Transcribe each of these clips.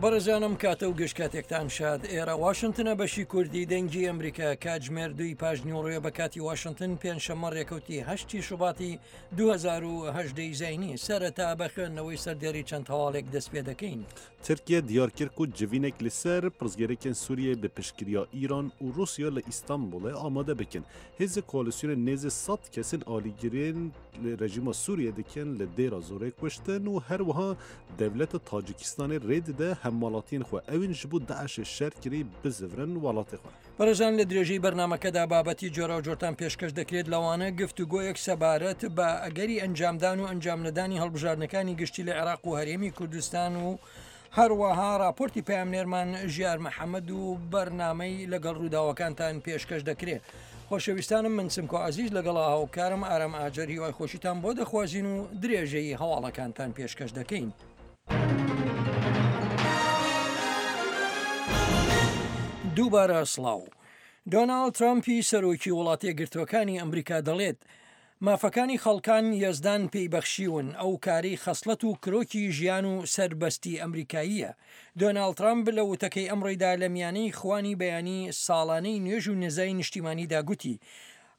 بەڕێزان ئەم کاتە و گشت کاتێکتان شاد ئێرە واشنتنە بەشی کوردی دەنگی ئەمریکا کاتژمێر دووی پاش نیوەڕۆیە بە کاتی واشنتن پێنجشەممە ڕێکەوتی هەشتی شوباتی 2018 زینی سەرەتا بە خوێندنەوەی سەردێری چەند هەواڵێک دەست پێ دەکەین. Tirkiye diyar kir ku civînek li ser pirsgirêkên Sûriyeyê bi piştgiriya Îran û Rûsya li Îstanbulê amade bikin. Hêzê koalîsyonê nêzî sed kesên alîgirên li rejîma Sûriyeyê dikin li Dêra Zorê kuştin û her wiha dewleta Tacîkistanê rê dide hemwelatiyên xwe ewên ji bo DAIŞ'ê şer kirî bizivirin welatê xwe. بەڕێزان لە درێژەی بەرنامەکەدا بابەتی جۆراوجۆرتان پێشکەش دەکرێت لەوانە گفتوگۆیەک سەبارەت بە ئەگەری ئەنجامدان و ئەنجامنەدانی هەڵبژاردنەکانی گشتی لە عێراق و هەرێمی کوردستان و هەروەها راپۆرتی پەیامنێرمان ژیار محەممەد و بەرنامەی لەگەڵ ڕووداوەکانتان پێشکەش دەکرێت. خۆشەویستانم من سمکۆ عزیز لەگەڵ هاوکارم ئارام ئاجەر هیوای خۆشیتان بۆ دەخوازین و درێژەی هەواڵەکانتان پێشکەش دەکەین. دووبارە سڵاو. دۆناڵد ترەمپی سەرۆکی وڵاتیەکگرتووەکانی ئەمریکا دەڵێت، مافەکانی خەڵکان یەزدان پێی بەخشیون، ئەو کارەی خەسڵەت و کرۆکی ژیان و سەربەستی ئەمریکاییە. دۆناڵد ترەمپ لە وتەکەی ئەمڕۆیدا لە میانەی خوانی بەیانی ساڵانەی نوێژ و نزای نیشتیمانیدا گوتی،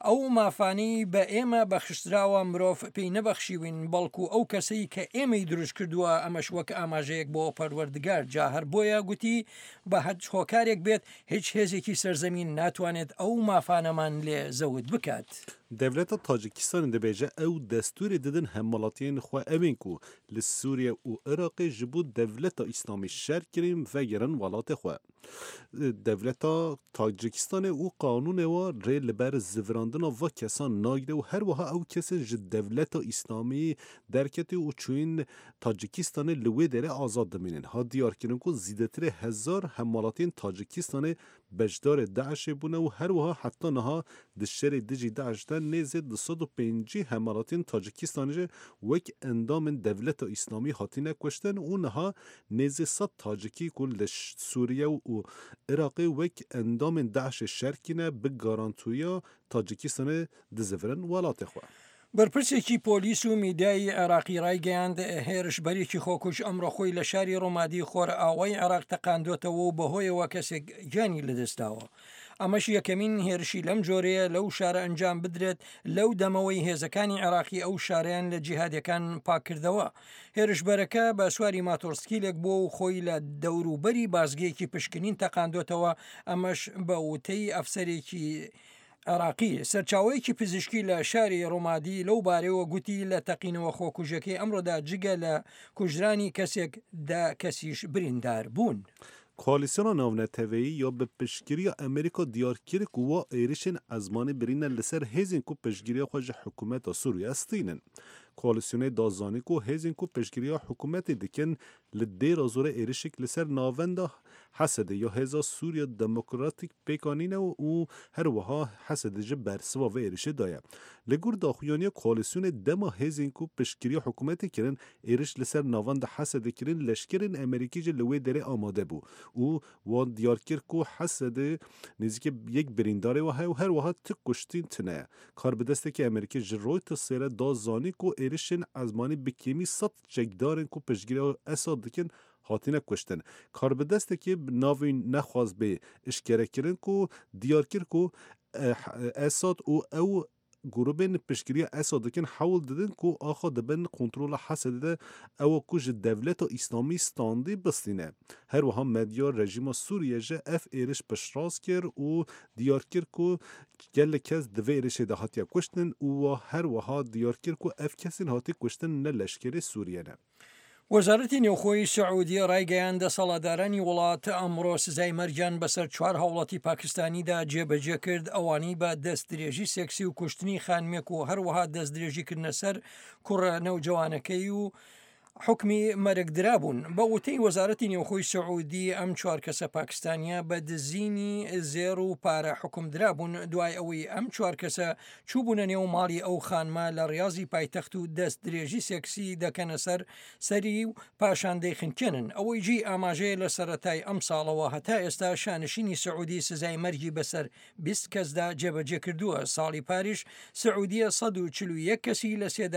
ئەو مافانەی بە ئێمە بەخشراوە مرۆڤ پێی نەبەخشیوین بەڵکو ئەو کەسەی کە ئێمەی دروست کردووە ئەمەش وەک ئاماژەیەک بۆ پەروەردگار جا هەر بۆیە گوتی بە هەچ هۆکارێک بێت هیچ هێزێکی سەرزەمین ناتوانێت ئەو مافانەمان لێ زەوت بکات. Dewleta Tacîkistanê dibêje ew destûrê didin hemwelatiyên xwe ewên ku li Sûriye û Iraqê ji bo dewleta Îslamî şer kirîn vegerin welatê xwe. Dewleta Tacîkistanê û qanûnê wa rê li ber zivirandina va kesan nagire û her wiha ew kesên ji dewleta Îslamî derketî û çûyîn Tacîkistanê li wê derê azad dimînin. Hat diyarkirin ku zîdetirê hezar hemwelatiyên Tacîkistanê beşdarê DAIŞ'ê bûne û her wiha heta niha di şerê dijî DAIŞ de nêzê 250 hemwelatiyên Tacîkistanê jî wek endamên dewleta Îslamî hatine kuştin û niha Nêzî sed Tacikî ku li Sûriye û Iraqê wek endamên DAIŞ'ê şer kîne bi garantoya Tacîkistanê dizivirin welatê xwe. بەرپرسێکی پۆلیس و میدیای عێراقی ڕایگەیاند، هێرشبەرێکی خۆکوژ ئەمڕۆ خۆی لە شاری ڕومادی خۆرئاوای عێراق تەقاندۆتەوە و بەهۆیەوە کەسێک گیانی لەدەستداوە. ئەمەش یەکەمین هێرشی لەم جۆرەیە لەو شارە ئەنجام بدرێت لەو دەمەوەی هێزەکانی عێراقی ئەو شارەیان لە جیهادیەکان پاککردەوە. هێرشبەرەکە بە سواری ماتۆڕسکیلێک بووە و خۆی لە دەوروبەری بازگەیەکی پشکنین تەقاندۆتەوە، ئەمەش بە وتەی ئەفسەرێکی عێراقی. سەرچاوەیەکی پزیشکی لە شاری ڕومادی لەو بارەیەوە گوتی لە تەقینەوە خۆکوژیەکەی ئەمڕۆدا جگە لە کوژرانی کەسێک دە کەسیش بریندار بوون. Koalîsyona Navneteweyî ya bi piştgiriya Amerîka diyar kir ku wa êrişên ezmanî birîne li ser hêzên ku piştgiriya xwe ji hikûmeta Sûriye stînin. Koalîsyonê da zanîn ku hêzên ku piştgiriya hikûmetê dikin li Dêra Zorê êrişek li ser navenda Hesedê ya Hêza Sûriya Demokratîk pêk anîne û her wiha Hesedê ji bersiva vê êrişê daye. Li gor daxuyaniya koalîsyonê dema hêzên ku piştgiriya hikûmetê kirin êriş li ser navenda Hesedê kirin leşkerên Amerîkî jî li wê derê amade bû û wan diyar kir ku Hesedê nêzîkî yek birîndarê we heye û her wiha ti kuştîn tune ye. Karbidestekî Amerîkî ji Reutersê re da zanîn ku êrişên ezmanî bi kêmî sed çekdarên ku piştgiriya Esad dikin hatine kuştin. Karbidestekî bi navê nexwast bê eşkerekirin ku diyar kir ku Esad û ew grûbên piştgiriya Esad dikin hewl didin ku axa di bin kontrola Hesedê de ew ku ji dewleta Îslamî standî bistîne. Her wiha medya rejîma Sûriye ji ev êriş piştrast kir û diyar kir ku gelek kes di vê êrişê de hatiye kuştin û her wiha diyar kir ku ev kesên hatî kuştin ne leşkerê Sûriye ne. وەزارەتی نێوخۆی سعودیە ڕایگەیاند، دەسەڵاتدارانی وڵات ئەمڕۆ سزای مەرگیان بەسەر چوار هاوڵاتی پاکستانیدا جێبەجێ کرد، ئەوانەی بە دەستدرێژی سێکسی و کوشتنی خانمێک و هەروەها دەستدرێژیکردنە سەر کوڕە نەوجەوانەکەی و حوکمی مەرگ درابوون. بە وتەی وەزارەتی نێوخۆی سعودی ئەم چوار کەسە پاکستانیە بە دزینی زێڕ و پارە حوکم درابوون، دوای ئەوەی ئەم چوار کەسە چووبوونە نێو ماڵی ئەو خانمە لە ڕیازی پایتەخت و دەستدرێژی سێکسی دەکەنە سەر سەری و پاشان دەیخنکێنن. ئەوەی جێی ئاماژەیە لە سەرەتای ئەمساڵەوە هەتا ئێستا شانشینی سعودی سزای مەرگی بەسەر 20 کەسدا جێبەجێکردووە، ساڵی پاریش سعودیە 141 کەسی لە سێدارە.